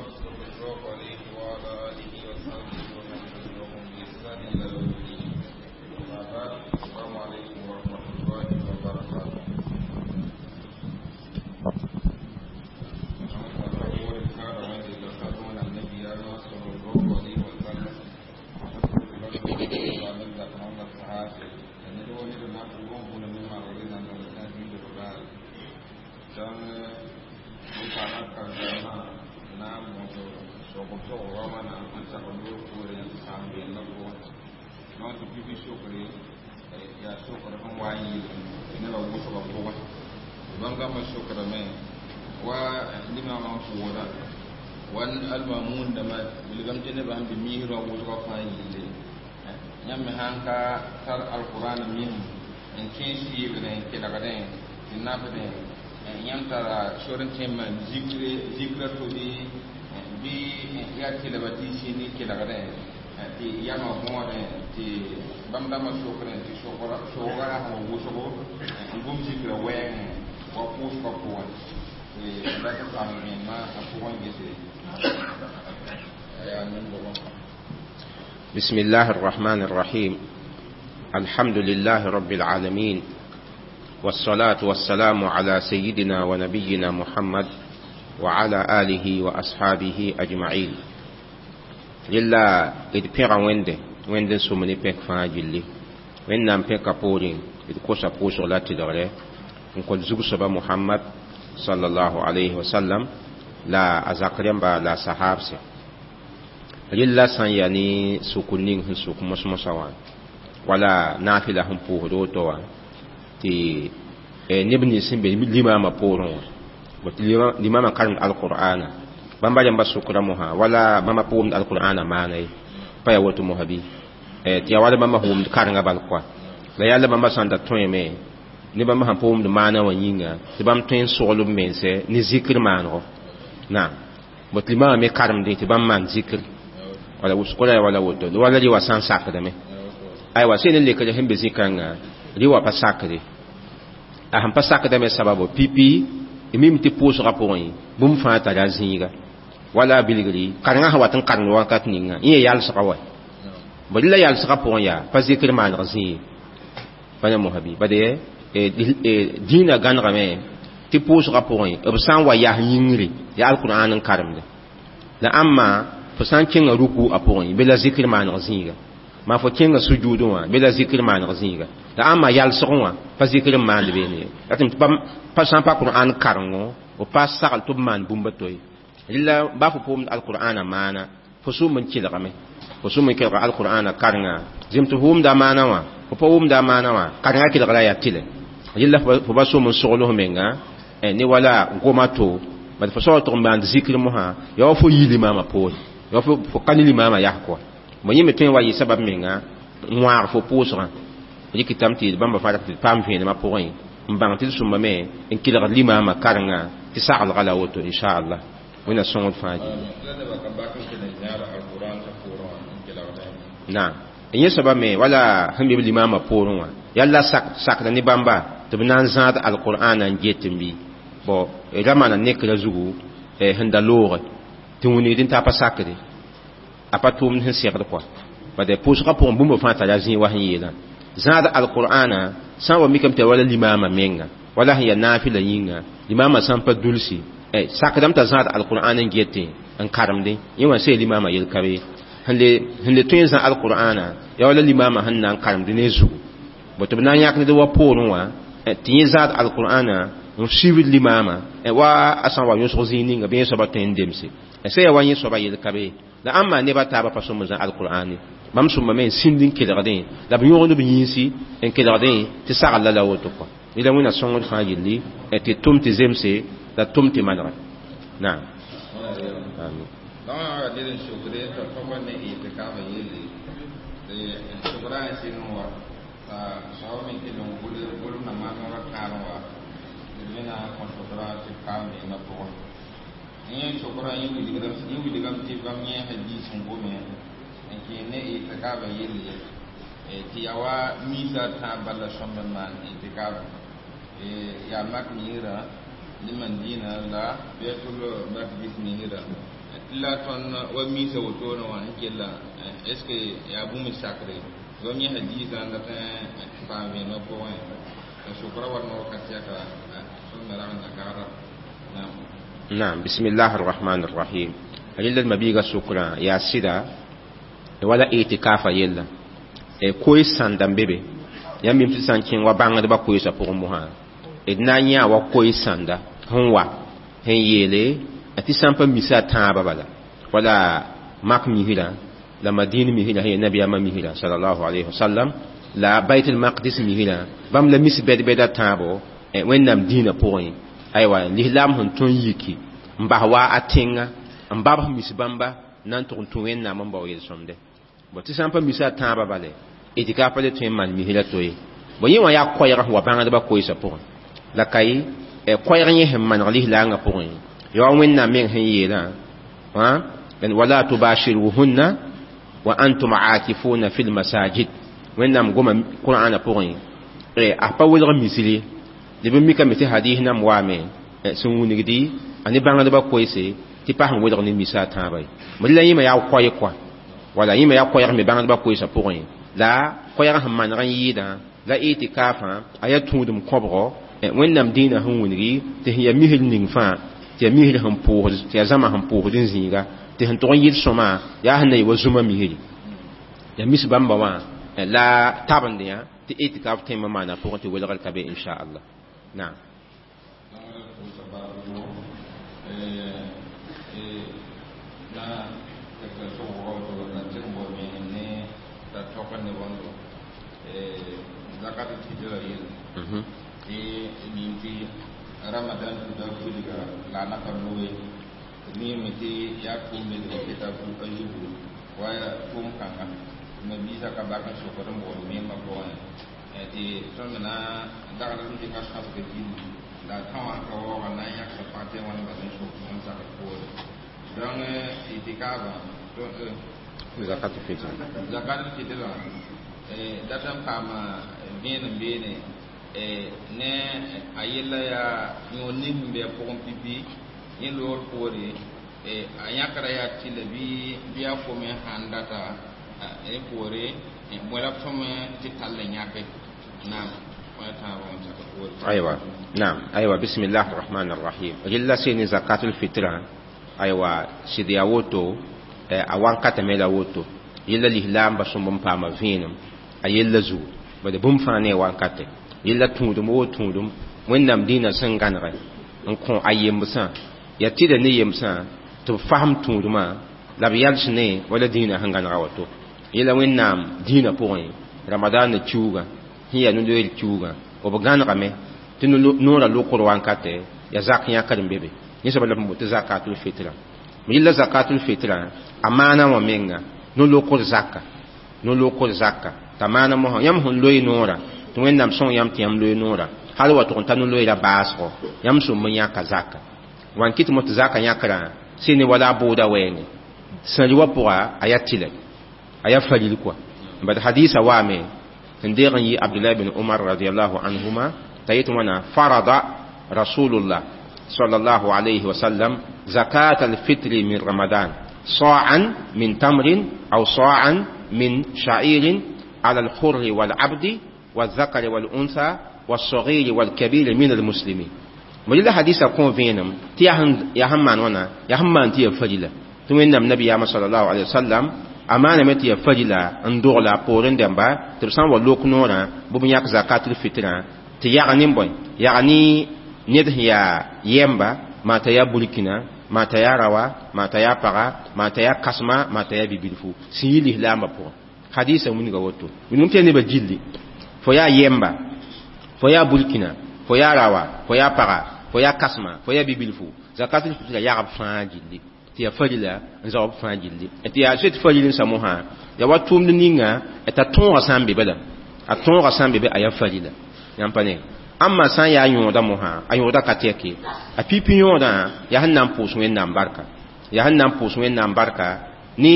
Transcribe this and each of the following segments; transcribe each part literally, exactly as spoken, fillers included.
صلى الله عليه وعلى آله وصحبه ومن تبعهم بإحسان إلى يوم الدين. أما بعد، السلام عليكم ورحمة الله وبركاته. Wan almamun da ma bilgam tene ba bi mihro wusga fa yille nyam han ka tar alquran min en kensi ibn ke daga den tinna fa den nyam tara shoren tema zikre zikra to di bi ya ke da bati sini ke daga den ti yama mo den ti bamda ma shokren ti shokora shokora ha wusogo ngum zikra wen wa pus ka ko بسم الله الرحمن الرحيم. الحمد لله رب العالمين، والصلاة والسلام على سيدنا ونبينا محمد وعلى آله وأصحابه أجمعين. لله إذ بيغا وينده وينده سومني بيك فاجلي وين نام بيك بورين إذ كوسا بوسو لا تدغري نقول زوج محمد صلى الله عليه وسلم لا أزاكريم با لا صحاب سي لله سان يعني سكونين هن سوك مسمسوا ولا نافلة هم بوهدو توا تي نبني سين بي لما ما بورون لما ما قرن القرآن بامبا جنب سكرمها ولا ما بوم القرآن ما ني بايا وتو مهبي تي ولا ما هم قرن بالقوا لا يالا ما سان دا تويمه ne bãmb sẽn pʋʋmd maana wã yĩnga tɩ bãmb tõe n soglb mense ne zikr maanego naam bot limaamã me karemdẽ tɩ bãmb maan zikr wala wʋsg wala woto wala rɩ wa sã n sakdame aywa sẽn ne lekre sẽn be zĩ-kãngã rɩ wa pa sakde a sẽn pa sakdame sababo pipi mim tɩ pʋʋsgã pʋgẽ bũmb fãa tara zĩiga wala bilgri karengã sẽn wat n karemd wakat ninga yẽ yalsga wa bõ la yalsgã pʋgẽ yaa pa zikr maaneg zĩig pa ne mosã bɩ bade dĩinã gãnegame tɩ pʋʋsgã pʋgẽ b sã n wa yas yĩngri yaa alqur'an n karemde la ãmma fo sã n kẽnga ruku a pʋgẽ be la zikr maaneg zĩiga maa fo kẽnga sujudẽ wã be la zikr maaneg zĩiga la ãmma yalsgẽ wã pa zikr n maand beene ye la tɩ pa sã n pa qur'an karengo b pa sagl tɩ b maan bũmba to ye rɩla baa fo pʋʋmd alqur'ana maana fo sʋʋm n kelgame fo sʋʋm n kelga alqur'ana karenga zem tɩ fo wʋmda a maana wã fo pa wʋmda a maana wã karenga kelgra yaa tɩlɛ yella fo ba sʋʋm n sogl f menga ne wala goma to bad fo soag tʋg n maand zikr mosã yaa wa fo yi limaamã poore yaa fo ka ne limaamã yas kɔa bõ yẽ me tõe n wa yɩ sabab menga n wãag fo pʋʋsgã rɩkɩtame tɩ bãmba fãa tɩ paam vẽenemã pʋgẽ n bãng tɩ d sõmba me n kelgd limaamã karenga tɩ saglga la woto inchallah wẽnna sõngd fãa gilli naam yẽ soaba me wala sẽn be b limaamã poorẽ wã yalla sakda ne bãmba tɩ b na n zãad alqur'ana n get n bɩ bõ ra maana nekra zugu sẽn da looge tɩ wingd n t'a pa sakde a pa tʋʋmd sẽn segd kɔa bad pʋʋsgã pʋgẽ bũmb fãa tara zĩig wa sẽn yeelã zãad alqur'ana sã n wa mikame tɩ wala limaamã menga wala sẽn yaa naafɩla yĩnga limaamã sã n pa dulsi sakdame t'a zãad alqur'an n getẽ n karemdẽ yẽ wã see limaamã yel-ka be sẽn le tõe n zã alqur'ana yaa wala limaamã sẽn na n karemd ne zugu bõ tɩ b na n yãk ned wa poorẽ wã tɩ yẽ zaad alqur'ana n suivd limaamã wa a sã n wa yõsg zĩig ninga bɩ yẽ soaba tõe n demse sã yaa wa yẽ soaba yel-ka be la ãmba neba taabã pa sõm n zã alqur'ane bãmb sõmbame n sĩnd n kelgdẽ la b yõgd b yĩnsi n kelgdẽ tɩ sagl la la woto kɔa la wẽnna sõngd fãa yelli tɩ tʋm tɩ zemse la tʋm tɩ manegɛ naam yẽ sokra yẽ wilgame tɩ bãmb yẽ hadiis n gome n kẽ ne itikaba yelle tɩ yaa wa miisã tãab bala sõmb n maan itikaba yaa mak miirã ne Madina la Baitul Maqdis miirã tɩ La tõnd wa misa wotone wã n kella est ce que yaa bũmb sakre bãmb yẽ hadiisã n dat n paam vẽenemã pʋgẽ la sokra wa noor ka tɛka tõnd rag n na gagda naam. نعم، بسم الله الرحمن الرحيم. ريلا المبيغا سكرا يا سيدا wala itikafa yella e koy sanda bebe yãmb bɩm tɩ sã n kẽ wa bãngdbã koeesã pʋgẽ mosã d na n yã wa koe sãnda sẽn wa sẽn yeele tɩ sã n pa misa a tãabã bala wala mak misrã la madin misrã sẽn yaa nabiyaamã misrã sallallahu alayhi wasallam la bait al-maqdis misrã bãmb la mis bɛd-bɛda tãabo wẽnnaam dĩinã pʋgẽ aywa lislaam sẽn tõn yiki n bas wa a tẽnga n babs mis bãmba na n tʋg n tũ wẽnnaam n bao yel-sõmde bõ tɩ sã n pa misa a tãabã bale itikaf pa le tõe n maan misrã to ye bõ yẽ wã yaa koɛɛg sẽn wa bãngdbã koeesã pʋgẽ la ka ye koɛɛg yẽ sẽn maneg lislaangã pʋgẽ ya wa wẽnnaam meng sẽn yeelã wala tubashiruhunna wa antum aakifuna fi lmasajid wẽnnaam goma qur'ana pʋgẽ a pa welg misri d b mikame tɩ hadis nam waame sẽn wingdi a ne bãngdbã koeese tɩ pa sẽn welg ne misa a tãabã ye la yẽma yaa koɛ kɔa wala yẽma yaa koɛɛg me bãngdbã koeesã pʋgẽ la koɛɛg sẽn maneg n yɩɩdã la itikafã a yaa tũudem kõbgo wẽnnaam dĩinã sẽn wilgi tɩ sẽn yaa misr ning fãa tɩ yaa misr sẽn pʋʋsd tɩ yaa zãma sẽn pʋʋsd n zĩiga tɩ sẽn tʋg n yɩl sõma yaa sẽn na yɩ wa zũma misri yaa mis bãmba wã la tabend yã tɩ itikaf tẽmb maana pʋgẽ tɩ welgr ka be inchallah. Naam. Ramadan tuda fulga la na pa noe mi mi ti ya kum me de ta fu ajubu wa kum kanga ma bisa ka ba kan so ko mo mi ma ko ne ti ton na da ga ti ka sa ke ti la ta wa ka wa na ya sa pa te wa na ba so ko sa ka ko donc itikaba to zakat fitr zakat fitr eh datan pama bien bene ne a yella yaa yõor ning sẽn be a pʋgẽ pipi yẽ loor poore a yãkra yaa tɩla bɩ bɩ a fome sãn data rẽ poore bõe la b sõm tɩ tall n yãke naam. أيوة نعم أيوة بسم الله الرحمن الرحيم رلا سيني زكاة الفطرة أيوة سيدي أوتو أوان كتمي أوتو يلا الإسلام بسم بام فينم أيلا زو بدي بوم فاني وان كتم yella tũudum woo tũudum wẽnnaam dĩinã sẽn gãnege n kõ a yembsã yaa tɩda ne yemsã tɩ b fasem tũudmã la b yals ne wala dĩinã sẽn gãnega woto yella wẽnnaam dĩinã pʋgẽ ramadaanã kiuugã sẽn yaa no-loeer kiuugã b gãnegame tɩ noorã lokr wankate yaa zak yãkd n be be yẽ soaba la b tɩ zakatul fitra yella zakatul fitra a maana wã menga no-lokr zaka no-lokr zaka t'a maana mosã yãmb sẽn loe noorã tɩ wẽnnaam sõng yãmb tɩ yãmb loe noorã hal wa tʋg n ta no-loeera baasgo yãmb sũm n yãka zaka wan kɩt mo tɩ zaka yãkrã sɩ ne wala a bʋʋda wɛɛngẽ sãri wã pʋga a yaa tɩlɛ a yaa faril kɔa bad hadisa waame sẽn deeg n yɩ abdullah bin umar radiallahu anhuma t'a yet wãna farada rasulullah sallallahu alayhi wa sallam zakat alfitri min ramadan صاعا من تمر أو صاعا من شعير على الحر والعبد والذكر والأنثى والصغير والكبير من المسلمين مجل حديث كون فينم تي يا هم مان وانا يا هم مان تي فجلا توين النبي يا صلى الله عليه وسلم أمانة متي فجلا اندور لا بورن دمبا تبسان ولوك نورا بوم ياك زكاة الفطرة تي يعني بوي يعني نيد يا يمبا ما تيا بولكينا ما تيا روا ما تيا بغا ما تيا كسما ما تيا بيبيلفو سيلي لا ما بو حديث من غوتو من تي نبا جيلي fo yaa yemba fo yaa bulkina fo yaa rawa fo yaa paga fo yaa kasma fo yaa bibilfu zakatul fitra yagb fãa gilli tɩ yaa farila n zaob fãa gilli tɩ yaa zoet faril n sa mosã yaa wa tʋʋmd ninga t'a tõogã sã n be bala a tõogã sã n be be a yaa farila yãmb pa ne ãmba sã n yaa yõoda mosã a yõoda ka tɛke a pipi yõodã yaa sẽn na n pʋʋs wẽnnaam barka yaa sẽn na n pʋʋs wẽnnaam barka ne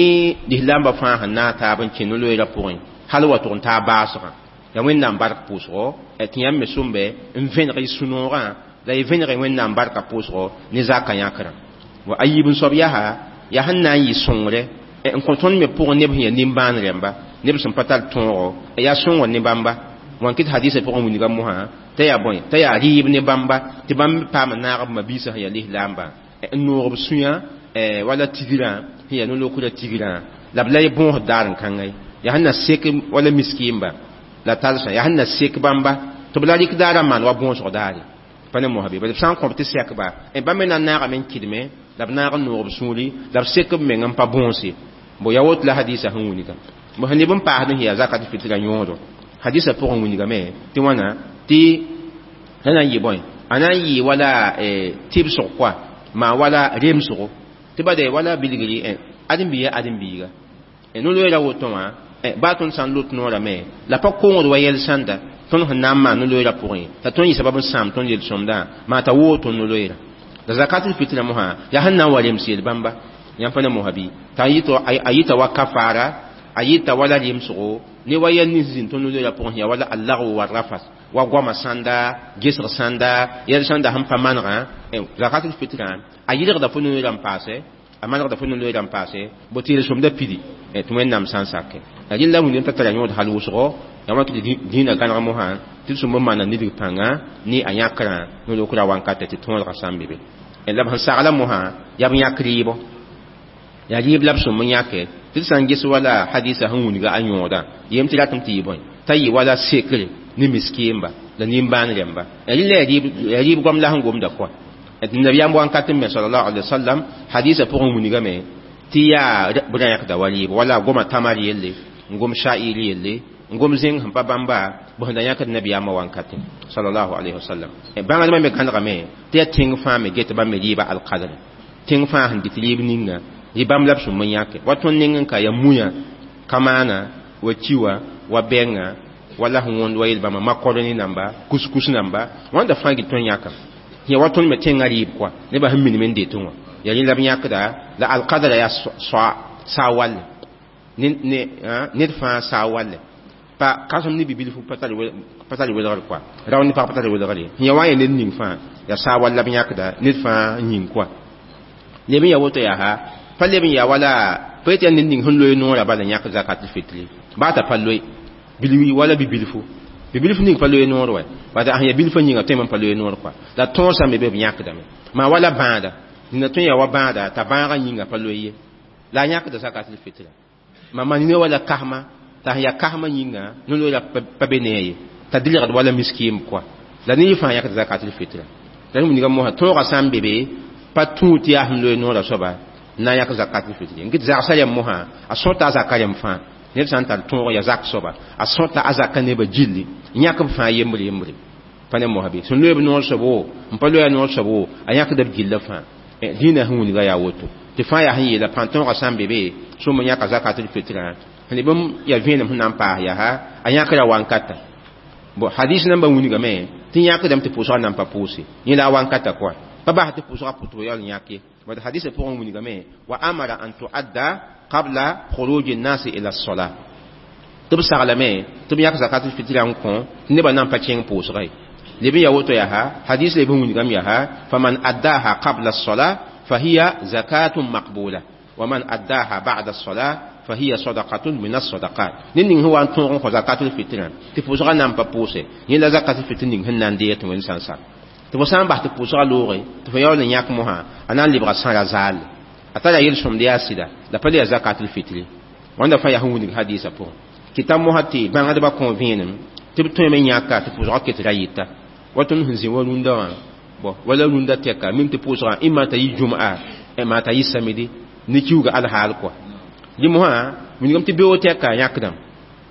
lislaambã fãa sẽn naag taab n kẽ no-loeerã pʋgẽ hal wa tʋg n taa baasgã ya wẽnnaam bark pʋʋsgo tɩ yãmb me sʋmbe n vẽneg y sũ-noogã la y vẽneg wẽnnaam barka pʋʋsgo ne zaka yãkrã wa a yiib n soab yaa yaa sẽn na n yɩ sõngre n kõ tõnd me pʋgẽ neb sẽn yaa nimbãan rẽmba neb sẽn pa tar tõogo yaa sõngr ne bãmba wãn kɩt hadisa pʋgẽ wilga mosã t'a yaa bõe t'a yaa rɩɩb ne bãmba tɩ bãmb paam n naag b mabiisã sẽn yaa lislaambã n noog b sũyã wala tigrã sẽn yaa no-lokrã tigrã la b la y bõosd daar n kãnga ye yaa sẽn na sek wala miskiimba la talsã yaa sẽn na sek bãmba tɩ b la rɩk daarã n maan wa bõosg daare pa ne mosã bɩ b sã n kõ b tɩ sɛkba bãmb me na n naagame n kɩdme la b naag n noog b sũuri la b sek b meng n pa bõose bo yaa woto la hadisa sẽn wilga bo sẽn neb n paasd n yaa zakat fitra yõodo hadisa pʋgẽ wilgame tɩ wãna tɩ la na n yɩ bõe a na n yɩ wala tɩbsg koa maa wala remsgo tɩ bade wala bilgri ãdem-biiga ãdem-biiga no-loeera woto wã baa tõnd sã n lot noorame la pa kongd wa yɛl sãnda tõnd sẽn na n maan no-loeera pʋgẽ t'a tõnd yɩ sabab n sãam tõnd yel-sõmdã maa t'a woog tõnd no-loeera la zakatul fitra mosã yaa sẽn na n wa rems yel bãmba yãmb pa ne mosã bɩ t'a a yɩta wa kafaara a yɩta wala remsgo ne wa yɛl nins zĩnd tõnd no-loeera pʋgẽ yaa wala allagw wa rafas wa goama sãnda gesg sãnda yɛl sãnda sẽn pa manegã zakatul fitra a yɩlgda fo no-loeera n paase a manegda fo no-loeera n paase bo tɩ yel-sõmda pidi tɩ wẽnnaam sã n sake rẽnd la wĩndem t'a tara yõod hal wʋsgo yaa wã tɩ dĩinã gãneg mosã tɩ d sũmb n maana nidg pãnga ne a yãkrã no-lokrã wankatɛ tɩ tõodgã sã n be be la b sẽn sagla mosã yaa b yãk rɩɩbɔ yaa rɩɩb la b sũmb n yãke tɩ d sã n ges wala hadisa sẽn wilga a yõodã yem tɩ ratame tɩ yɩ bõe t'a yɩ wala sekre ne miskiimba la nimbãan rẽmba rẽnd la yaa rɩɩb goam la sẽn gomda koa nabiyaam wankat me sallallahu alaihi wasallam hadisa pʋgẽ wilgame tɩ yaa b rã yãkda wa rɩɩb wala goma tamar yelle n gom sha'ir yelle n gom zẽng sẽn pa bãmba b sẽn da yãkd nabiyaamã wankatẽ sallallahu alaihi wasallam bãngdmã me gãnegame tɩ yaa tẽng fãa me get bãmb me rɩɩba alkadr tẽng fãa sẽn dɩt rɩɩb ninga yɩ bãmb la b sũmb n yãke wa tõnd neng n ka yaa muya kamaana wa kiwa wa bɛnga wala sẽn wõnd wa yel-bãmba makoroni namba kuskus namba wãnda fãa gil tõnd yãkame ya wa tõnd me tẽngã rɩɩb koa nebã sẽn minim n detẽ wã yaa rẽ la b yãkda la alkadra yaa saa walle ned fãa saa walle pa kãsem ne bibilfu pa tar welgr koa rao ne pag pa tar welgr ye ya wa n yaa ned ning fãa yaa saa wall la b yãkda ned fãa yĩng koa leb n yaa woto yaa ha pa leb n yaa wala pa yetɩ yaa ned ning sẽn loe noorã bala yãk zakat fitri baa t'a pa loe bilwi wala bibilfu bibilfu ning pa loe noor wa bala sẽn yaa bilfã yĩnga tõe n pa loe noor koa la tõosã me be b yãkdame maa wala bãada dĩnã tõe n yaa wa bãada t'a bãagã yĩnga pa loe ye la a yãkda zakat fitra ma man ne wala kahma t'a sẽn yaa kahmã yĩnga no-loeera pa be ne a ye t'a dɩlgd wala miskiim koa la ne yɩ fãa yãkd zakatul fitra la wilga mosã tõogã sã n be be pa tũu tɩ yaa sẽn loe noorã soaba n na n yãk zakatul fitri n kɩt zagsã rẽmb mosã a sõta a zaka rẽmb fãa ned sã n tar tõog yaa zak soaba a sõta a zaka nebã gilli n yãk b fãa yembre yembre pa ne mosã bɩ sẽn loe b noor soab wo n pa loe a noor soab wo a yãkda b gilla fãa dĩinã sẽn wilga yaa woto tɩ fãa yaa sẽn yeela pãn tõogã sã n be be sõm n yãka zakatul fitrã sẽn bãmb yaa vẽenem sẽn na n paas yaa a yãkra wankata bon hadis nambã wilgame tɩ yãkdame tɩ pʋʋsgã nan pa pʋʋse yẽ la a wankata koa pa bas tɩ pʋʋsgã pʋ tɩ b yaool yãk ye bad hadisã pʋgẽ wilgame wa amara an tuadda qabla khuruj an-nas ila as-salah tɩ b saglame tɩ b yãk zakatul fitra n kõ tɩ nebã nan pa kẽng pʋʋsga ye leb n yaa woto yaa hadis leb n wilgame yaa faman addaha qabla as-salah fahiya zakatun maqbula ومن أداها بعد الصلاة فهي صدقة من الصدقات نين هو أن تنغ زكاة الفطر تفوز غنا بابوسي ين زكاة الفطر نين هن ديت وين سانسا تفوسان بحث تفوز غلوغي تفيول نياك مها أنا اللي بغى سان زال أتلا يلسم دياسدا لا بلي زكاة الفطر وانا فيا هو الحديث بو كتاب مهتي بان هذا بكونفينم تبتو من ياكا تفوز غكت رايتا وتن هنزي ولوندا بو ولا لوندا تيكا ميم تفوز إما تي جمعة إما تي سمدي ne kiuga alhaal kɔa dẽ mosã wilgame tɩ beoog tɛka yãkdame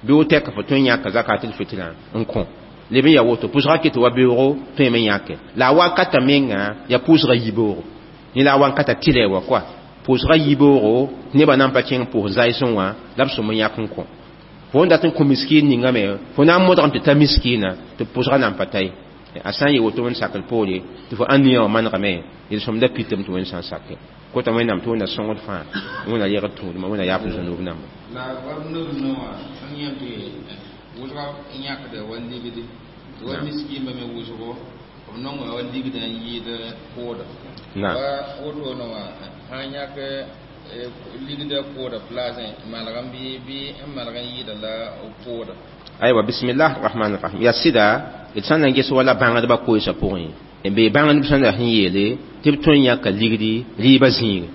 beoog tɛka fo tõe n yãka zakatul fitrã n kõ leb n yaa woto pʋʋsga ket wa beoogo tõeme n yãke la a wakata menga yaa pʋʋsga yibeoogo yẽ la a wankata tɩlɛ wa koa pʋʋsga yibeoogo nebã nan pa kẽng pʋʋs zaɩsẽ wã la b sõm n yãk n kõ fo n dat n kõ miskiin ningame fo na n modgame tɩ ta miskiina tɩ pʋʋsga nan pa ta ye a sã n yee woto wẽnd sakr poore tɩ fo ãniyã wã manegame yel-sõmda pitame tɩ wẽnd sã n sake kota wẽnnaam tɩ wẽnna sõngd fãa wẽnna yegd tũudmã wẽnna yaaf zũnub namba la wa neb noa sẽn yẽ tɩ wʋsga n yãkda wa ligdi tɩ wa miskiimã me wʋsgo b nonga wa ligdã n yɩɩd pʋʋda wa wotone wã sã n yãk Ligda pooda place malgam bɩ bɩ n malg n yɩɩda la pooda. Aywa, bismillah rahman rahim. Ya sɩda, d sã n na n ges wala bãngdbã koeesã pʋgẽ, n bee bãngdb sẽn la sẽn yeele tɩ b tõe n yãka ligdi rɩɩbã zĩigẽ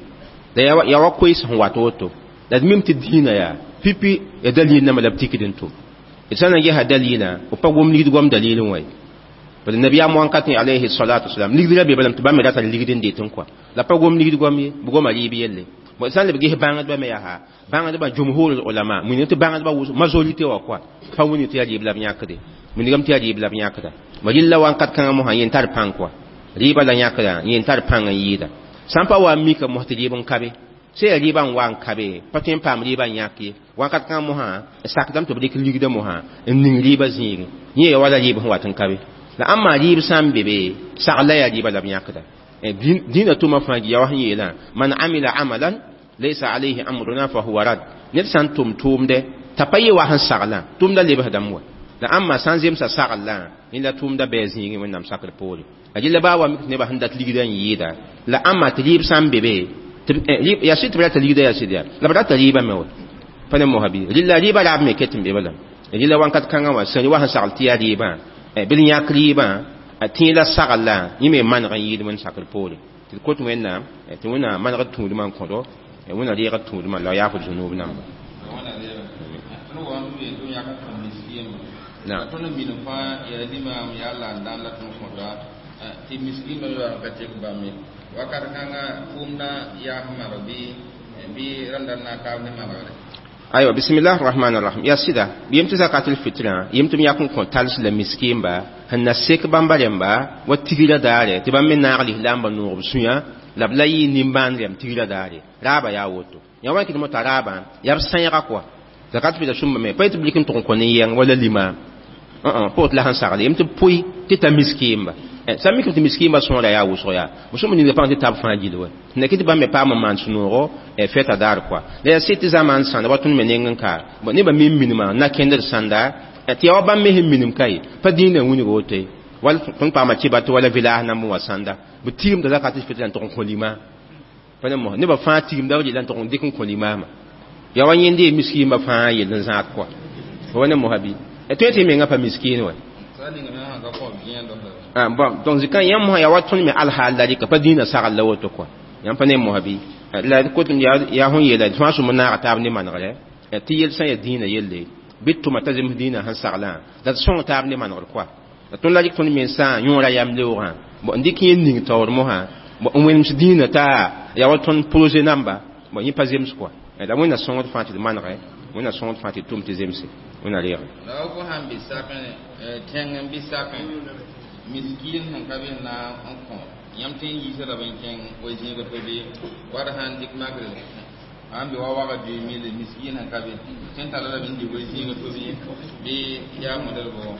la ya wa koees sẽn wat woto la d mim tɩ dĩinã yaa pipi ya dalil namba la b tikd n tʋm. D sã n na n gesa dalilã, b pa gom ligd goam dalil n wa ye. Bala nabiyaam wãnkat alayhi salatu wasalam ligd ra be balame tɩ bãmb me rata ligd n det n kɔa la pa gom ligd goam ye, b goma rɩɩb yelle. Bon, sã n leb ges bãngdbã me yaa bãngdbã jumhur ulama wilg tɩ bãngdbã wʋsg majorité wã kɔa pa wilg tɩ yaa rɩɩb la b yãkde, wilgame tɩ yaa rɩɩb la b yãkda. Ma rɩlla wãnkat kãngã mosã yẽn tar pãng kɔa rɩɩbã la yãkda yẽn tar pãng n yɩɩda sã n pa wa n mika mos tɩ rɩɩb n ka be sã yaa rɩɩbã n wa n ka be pa tõe n paam rɩɩbã n yãk ye. Wãnkat kãngã mosã sakdame tɩ b dɩk ligdã mosã n ning rɩɩbã zĩigẽ yẽ ya wala rɩɩb sẽn wat n ka be la ãmba rɩɩb sã n be be sagl la yaa rɩɩbã la b yãkda. Dĩinã tʋma fãa ya wa sẽn yeelã man amila amalan laysa alayhi amruna fa huwa rad, ned sã n tʋm tʋʋmdɛ t'a pa yɩ wa sẽn saglã tʋʋmda lebsdame wa la ãmba sã n zemsa saglã yẽ la tʋʋmda bɩ a zĩigẽ Wẽnnaam sakr poore. La rɩla baa wa mik nebã sẽn dat ligdã n yɩɩda la ãmba tɩ rɩɩb sã n be be yaa sɩd tɩ b rata ligdã yaa sɩd yaa la b rata rɩɩbã me wa pa ne mosa bɩ rɩla rɩɩbã raab me ket n be balame rɩla wãnkat kãngã wã sẽn wa sẽn sagl tɩ yaa rɩɩbã bɩ d yãk rɩɩbã tẽ la saglã yẽ me maneg n yɩɩd Wẽnd sakr poore tɩ d kot Wẽnnaam tɩ Wẽnnaam manegd tũudmã n kõdo Wẽnna reegd tũudmã la yaaf d zũnub namba. Tõnd minim fãa yaa limam yaa la n dãn la tõnd kõta tɩ miskiimã yoa ka tek bãmb ye wakat kãnga fʋʋmdã yaas maneg bɩ bɩ rãmda n na n taab ne manegre. Aywa, bismillah rahman rahim. Ya sɩda yem tɩ zakatul fitrã yem tɩ b yãk n kõ tals la miskiimba sẽn na sek bãmba rẽmba wa tigrã daare tɩ bãmb me naag lislaambã noog b sũyã la b la yɩ nimbãan rɛm tigrã daare raaba yaa woto yã wa kɩt mo t'a raabã yaa b sãeega kɔa zakat fitra sũmba me pa yetɩ b lik n tʋg n kõ nin-yɛng wala limaam pot la sẽn sagle yem tɩ b pʋɩ tɩ ta miskiimba sã mikame tɩ miskiimba sõora yaa wʋsg yaa b sõm ninga pãng tɩ tab fãa gill wa na kɩ tɩ bãmb me paam n maan sũ-noogo fɛta daar kɔa la yaa sɩd tɩ zamaan sãnda wa tõnd me neng n ka nebã me n minimã na kẽndr sãnda tɩ yaa wa bãmb me sẽn minim ka ye pa dĩinã wilg woto ye wala tõnd paama kɩba tɩ wala village namb wã sãnda b tigimda zakat fitra n tʋg n kõ limaam pa ne mos nebã fãa tigimda b rɩla n tʋg n dɩk n kõ limaamã yaa wa yẽnde ye miskiimba fãa yell n zãad kɔa wa ne mosa bɩ tõe tɩ mengã pa miskiin wa. Ah bon, donc zikã yãmb mosã yaa wa tõnd me alhaal la rɩka pa dĩinã sagl la woto kɔa yãmb pa ne mosa bɩ la kot yaa sẽn yeela fãa sũm naaga taab ne manegrɛ tɩ yel sã n yaa dĩinã yelle bɩ tʋma t'a zems dĩinã sẽn saglã la d sõng taab ne manegr kɔa la tõnd la rɩk tõnd mensã yõora yam leoogã bon n dɩk yẽ ning taoor mosã bon n wẽnems dĩinã t'a yaa wa tõnd projet namba bon yẽ pa zems kɔa la Wẽnna sõngd fãa tɩ d manegɛ Wẽnna sõngd fãa tɩ d tʋm tɩ zemse Wẽnna reege. La fo sãn be sakẽ tẽng n be sakẽ miskin sẽn ka be na n kõ yãmb tõe n yiisa lame n kẽng wa zĩiga to bɩ wa d sãn dɩk makre sãn be wa waga deux mille miskin sẽn ka be tõe n tara lame n dɩk wa zĩiga to bɩ bɩ yaa model bʋgo.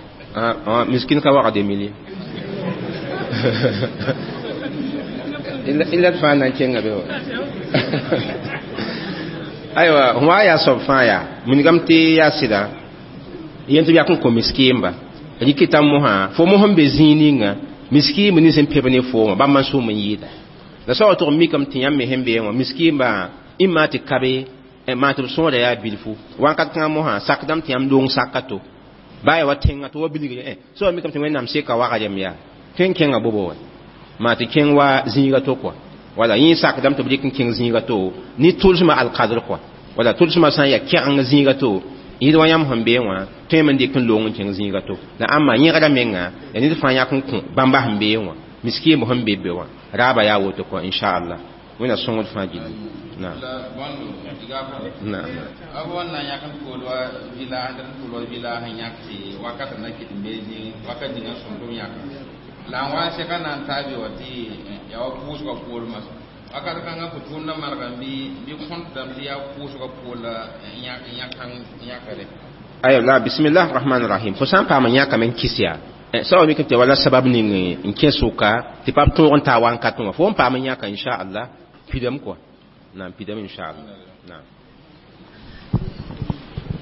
Miskin ka waga deux mille illa d fãa na n kẽnga be wa. Aywa, wã yaa soab fãa yaa wilgame tɩ yaa sɩda yẽn tɩ b yak n kõ miskiimba rɩkɩta mosã fo mos n be zĩig ninga miskiimb nins n peb ne foomã bãmb n sʋʋm n yɩɩda la soaba tʋg n mikame tɩ yãmb me sẽn beẽ wã miskiimba maa tɩ kabe maa tɩ b sõora yaa bilfu wãnkat kãngã mosã sakdame tɩ yãmb loong saka to baa yaa wa tẽngã tɩ wa bilgre soaba mikame tɩ Wẽnnaam seka wagrem yaa tõe n kẽngã bobo wa maa tɩ kẽng wa zĩiga to kɔa wala yẽ sakdame tɩ b rɩk n kẽng zĩiga to ne tʋlsmã alkadr kɔa wala tʋlsmã sã n yaa kɛgeng zĩiga to yẽd wa yãmb sẽn beẽ wã tõe me n dɩk n loong n kẽng zĩiga to la ãmba yẽgrã menga yaa ned fãa yãk n kõ bãmba sẽn beẽ wã miskiimb sẽn be be wã raaba yaa woto kɔa inchallah Wẽnna sõngd fãa gilli. Naam. Naam. B wa na yãk n tʋʋl wa village n tʋʋl wa village n yãk tɩ wakat na kɩt n bee zĩig wakat ninga sõm tɩ b yãka la n wa n sɛka na n taa be wa tɩ yaa wa pʋʋsgã poor masã wakat kãngã fo tʋʋmdã manegame bɩ bɩ kõntdame tɩ yaa pʋʋsgã poor la yãkre. Aywa, la bismillah rahman rahim. Fo sã n paam n yãkame n kis yaa soaba mikame tɩ wala sabab ning n kẽ sʋka tɩ pa b tõog n taa wãnkat wã fo n paam n yãka inchallah pidame kɔa na n pidame inchallah naam.